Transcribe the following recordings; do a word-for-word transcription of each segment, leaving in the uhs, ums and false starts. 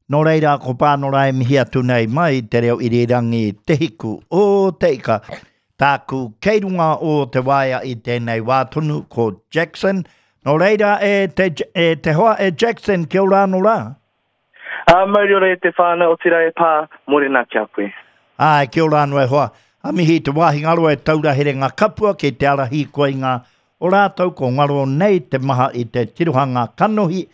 Nō reira, ko Pānora e mihi atu nei mai te reo irirangi Te Hiku o Te Ika. Tāku kei runga o te waea i tēnei wā tonu ko Jackson. Nō reira, e te, e te hoa e Jackson, kia ora anō rā. Ā, mauri ora e te whānau, otirā e pā, mōrena ki a koe. Āe, kia ora anō e hoa. A mihi te wāhi ngaro e taura herenga kapua ki te ara hīkoinga o rātou ko ngaro nei te maha i te tirohanga kanohi,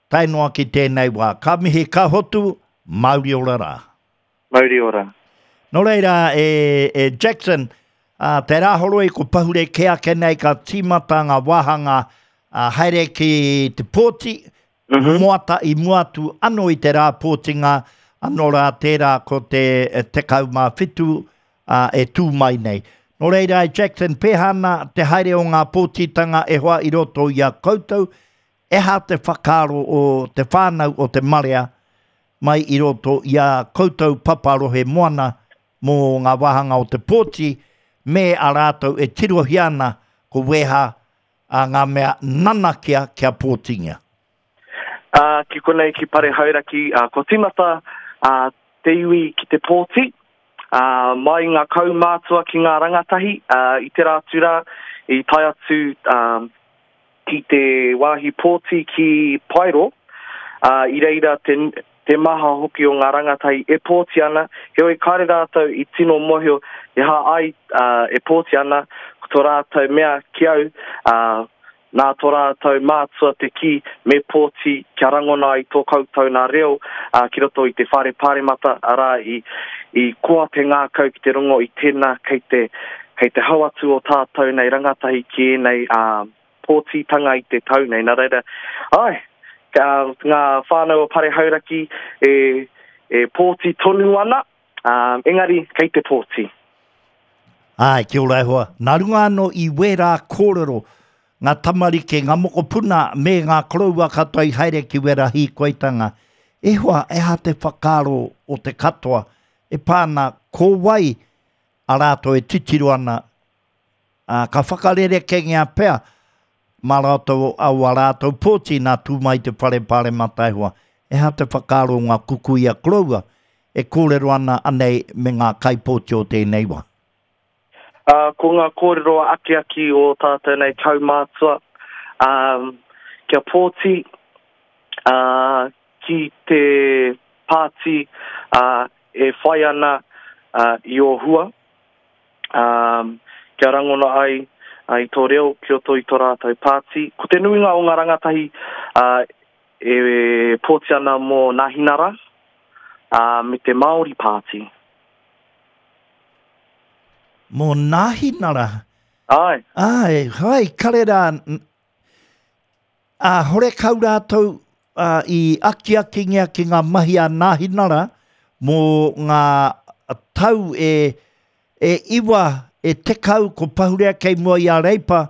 tae noa ki tēnei wā. Ka mihi, ka hotu, mauri ora rā. Mauri ora. Nō reira, e, e Jackson, a, te rāhoroi ko pahure kē ake nei ka tīmata ngā wāhanga a, haere ki te pōti, mm -hmm. moata i mua atu anō i te rā pōtinga, anō rā tērā ko te tekau mā whitu a, e tū mai nei. Nō reira, e Jackson, pēhā ana te haere o ngā pōtitanga e hoa i roto i a koutou, eha te whakaaro o te whānau o te marea mai i roto i a koutou paparohe moana mō ngā wāhanga o te pōti me a rātou e tirohia ana ko weha a ngā mea nanakia kia pōtingia. Uh, ki konei ki Pare Hauraki, uh, ko tīmata uh, te iwi ki te pōti, uh, mai ngā kaumātua ki ngā rangatahi, uh, i te rā atu rā, i tae atu uh, ki te wāhi pōti ki Paero, uh, i reira te, te maha hoki o ngā rangatahi e pōti ana, heoi kāre rātou i tino mōhio e ha ai uh, e pōti ana, ko tō rātou mea ki au, uh, nā tō rātou mātua te ki me pōti kia rangona i tō koutou nā reo uh, ki roto i te whare pāremata, arā i, i koa te ngākau ki te rongo i tēnā kei te, kei te hau atu o tātou nei rangatahi ki ēnei uh, pōtitanga i te tau nei. Nā reira, ai, ka, ngā whānau o Pare Hauraki e, e pōti tonu ana, um, engari kei te pōti. Ai, kia ora e hoa. Nā runga anō i wērā kōrero, ngā tamariki, ngā mokopuna me ngā koroua katoa i haere ki wērā hīkoitanga. E hoa, e ha te whakaaro o te katoa, e pāna ko wai a rātou e titiro ana, a, ka whakarerekengia pea mā rātou au a rātou pōti nā tū mai te whare pāremata e hoa. E ha te whakaaro o ngā kukuia koroua e kōrero ana anei me ngā kaipōti o tēnei wā. Uh, ko ngā kōrero akiaki o tātou nei kaumātua, um, kia pōti uh, ki te pāti uh, e whai ana uh, i o hua, um, kia rangona ai uh, i tō reo ki roto i tō rātou pāti. Ko te nuinga o ngā rangatahi uh, e pōti ana mō Nāhinara uh, me te Māori Pāti. Mō Nāhinara? Ai. Ai, hai, kare rā, a hore kau rātou uh, i akiakingia ki ngā mahi a Nāhinara mō ngā tau e, e iwa, e tekau ko pahurea kei mua i a Reipa,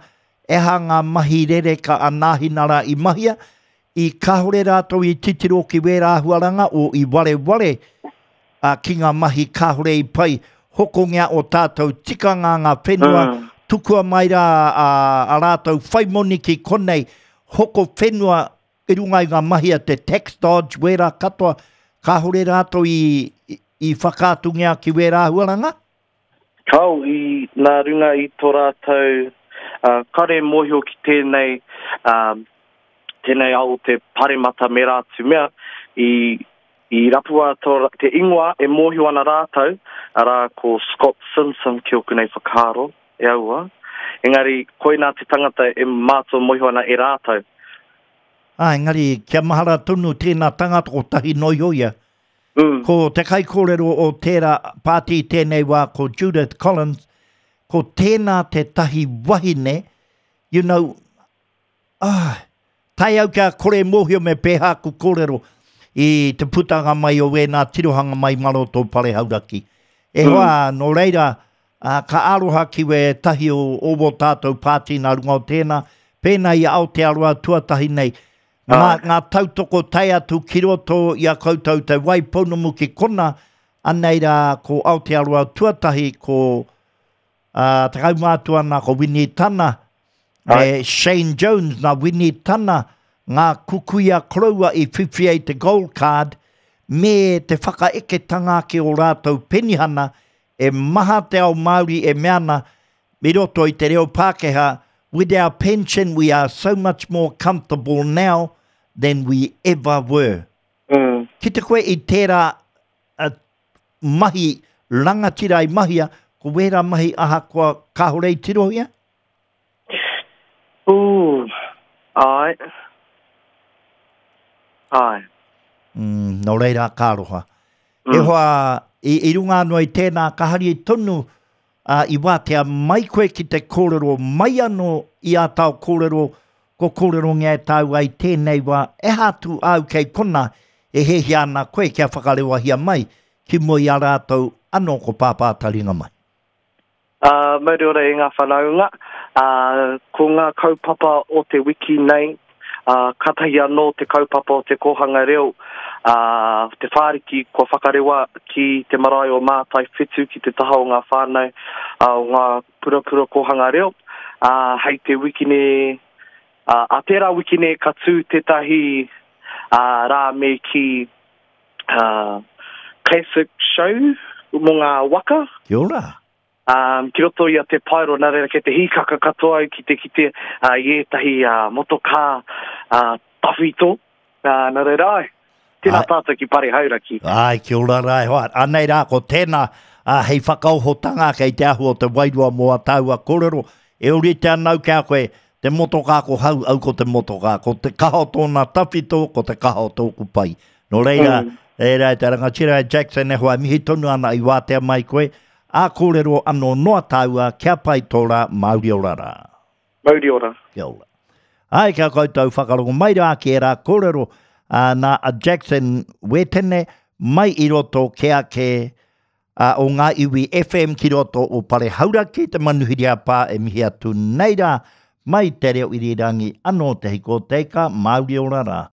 e ha ngā mahi rereka a Nāhinara i mahia, i kāhore rātou i titiro ki wērā āhuaranga o i wareware uh, ki ngā mahi kāhore i pai hokongia o tātou tikanga ngā whenua, mm. tukua mai rā a, a rātou whaimoni ki konei, hoko whenua i runga i ngā mahi a te tax dodge, wērā katoa, kāhore rātou i, i, i whakaatungia ki wērā āhuaranga? Kao, i nā runga i tō rātou uh, kare mōhio ki tēnei, um, tēnei ao te paremata me rātou mea, i, i rapua tō, te ingoa e mōhio ana rātou, arā ko Scott Simpson ki oku nei whakaaro, e aua. Engari, koinā te tangata e mātua mōhio ana e rātou. Ah, engari, kia mahara tonu tēnā tangata ko tahi noi ia. Mm. Ko te kaikōrero o tērā pāti tēnei wā ko Judith Collins, ko tēnā te tahi wahine, you know, ah, tae au kia kore mōhio me pēhā ku kōrero i te putanga mai o wēnā tirohanga mai maro tō Pare Hauraki. E mm. hoa, nō reira, uh, ka aroha ki we tahi o, o wō tātou pāti nā runga o tēnā, pēnā i Aotearoa tuatahi nei, ngā, ngā tautoko tae atu ki roto i a koutou te Waipounamu ki kona, anei rā ko Aotearoa tuatahi ko uh, te kaumātua nā ko Winnie Tana, me Shane Jones nā Winnie Tana, ngā kukuia koroua i whiwhi ai te gold card, me te whakaeketanga ake o rātou penihana, e maha te ao Māori e mea ana, i roto i te reo Pākehā, with our pension we are so much more comfortable now than we ever were. Mm. Ki te koe i tērā uh, mahi rangatira i mahia, ko wērā mahi ahakoa kāore i tirohia? Ooh, ai. Ai. Mm, nō reira ka aroha. Mm. E hoa, i, i runga anō i tēnā, ka hari tonu uh, i wātea mai koe ki te kōrero mai anō i ā tāu kōrero, ko kōrerongia e tāua i tēnei wā, e hātu au kei kona e hehia ana koe kia whakarewahia mai ki mua i a rātou anō ko Pāpā Taringa mai. Uh, mauri ora e ngā whanaunga, uh, ko ngā kaupapa o te wiki nei, uh, katahi anō te kaupapa o te kōhanga reo, uh, te whāriki kua whakarewa ki te marae o Mātai Whetū ki te taha o ngā whānau, uh, o ngā purapura kōhanga reo, uh, hei te wiki nei, uh, a tērā wiki nei ka tū tētahi uh, rā me ki uh, classic show mō ngā waka. Kia ora. Um, ki roto i a Te Paero, nā reira kei te hīkaka katoa au ki te kite uh, i ētahi uh, motokā uh, tawhito. Uh, nā reira ai, tēnā Ai. tātou ki Pare Hauraki. Ai, kia ora rā e hoa. Anei rā, ko tēnā uh, hei whakaohotanga kei te ahu o te wairua mō a tāua kōrero. E ori te anau kia koe, te motokā ko hau, au ko te motokā. Ko te kaha o tōna tawhito, ko te kaha o tōku pai. Nō reira, Mm. reira e te rangatira e Jackson e hoa mihi tonu ana i wātea mai koe. A kōrero anō noa tāua, kia pai tō rā, mauri ora rā. Mauri ora. Kia ora. Ai, kia koutou whakarongo mai rā ki e rā kōrero uh, nā a Jackson Wetene mai i roto ke ake uh, o ngā iwi F M ki roto o Pare Hauraki, te manuhiri a pā e mihi atu nei rā, mai te reo irirangi anō te hiko teika, mauri ora rā.